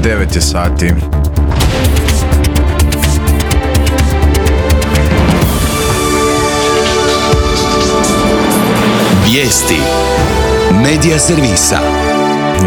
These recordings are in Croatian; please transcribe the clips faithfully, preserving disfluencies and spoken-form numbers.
devet je sati. Vijesti Medija servisa.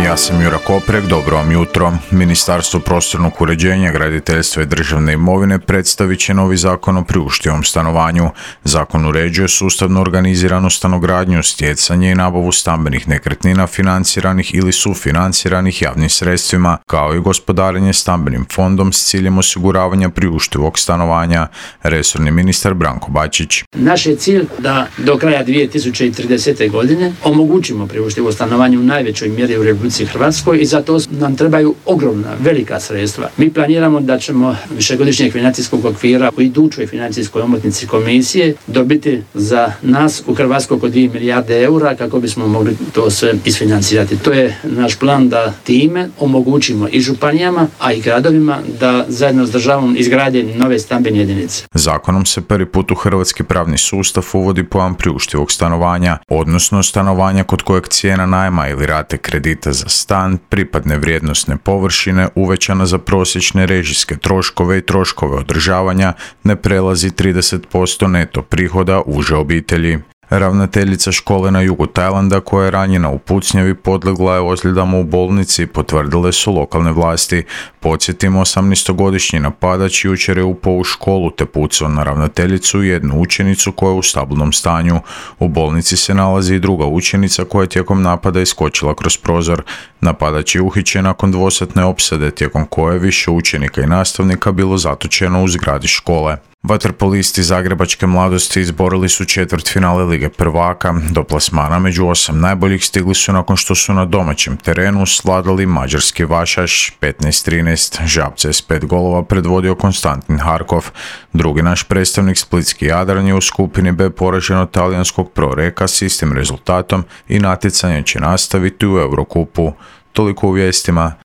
Ja sam Jura Koprek, dobro vam jutro. Ministarstvo prostornog uređenja, graditeljstva i državne imovine predstavit će novi zakon o priuštivom stanovanju. Zakon uređuje sustavno organiziranu stanogradnju, stjecanje i nabavu stambenih nekretnina financiranih ili sufinanciranih javnim sredstvima, kao i gospodarenje stambenim fondom s ciljem osiguravanja priuštivog stanovanja. Resorni ministar Branko Bačić. Naš je cilj da do kraja dvije tisuće tridesete. godine omogućimo priuštivo stanovanje u najvećoj mjeri u Republici Hrvatskoj i za to nam trebaju ogromna, velika sredstva. Mi planiramo da ćemo višegodišnjeg financijskog okvira u idućoj financijskoj omotnici komisije dobiti za nas u Hrvatskoj oko dvije milijarde eura kako bismo mogli to sve isfinancirati. To je naš plan da time omogućimo i županijama, a i gradovima da zajedno s državom izgrade nove stambene jedinice. Zakonom se prvi put u hrvatski pravni sustav uvodi pojam priuštivog stanovanja, odnosno stanovanja kod kojeg cijena najma ili rate kredita za stan, pripadne vrijednosne površine uvećana za prosječne režijske troškove i troškove održavanja ne prelazi trideset posto neto prihoda uže obitelji. Ravnateljica škole na jugu Tajlanda koja je ranjena u pucnjavi podlegla je ozljedama u bolnici, potvrdile su lokalne vlasti. Podsjetimo, osamnaestogodišnji napadač jučer je upao u školu te pucao na ravnateljicu i jednu učenicu koja je u stabilnom stanju. U bolnici se nalazi i druga učenica koja je tijekom napada iskočila kroz prozor. Napadač je uhićen nakon dvosatne opsade tijekom koje više učenika i nastavnika bilo zatočeno u zgradi škole. Vaterpolisti zagrebačke mladosti izborili su četvrtfinale Lige prvaka. Do plasmana među osam najboljih stigli su nakon što su na domaćem terenu svladali mađarski Vašaš petnaest trinaest. Žabce s pet golova predvodio Konstantin Harkov. Drugi naš predstavnik splitski Jadran je u skupini B poražen od talijanskog Proreka s istim rezultatom i natjecanje će nastaviti u Eurokupu. Toliko u vijestima.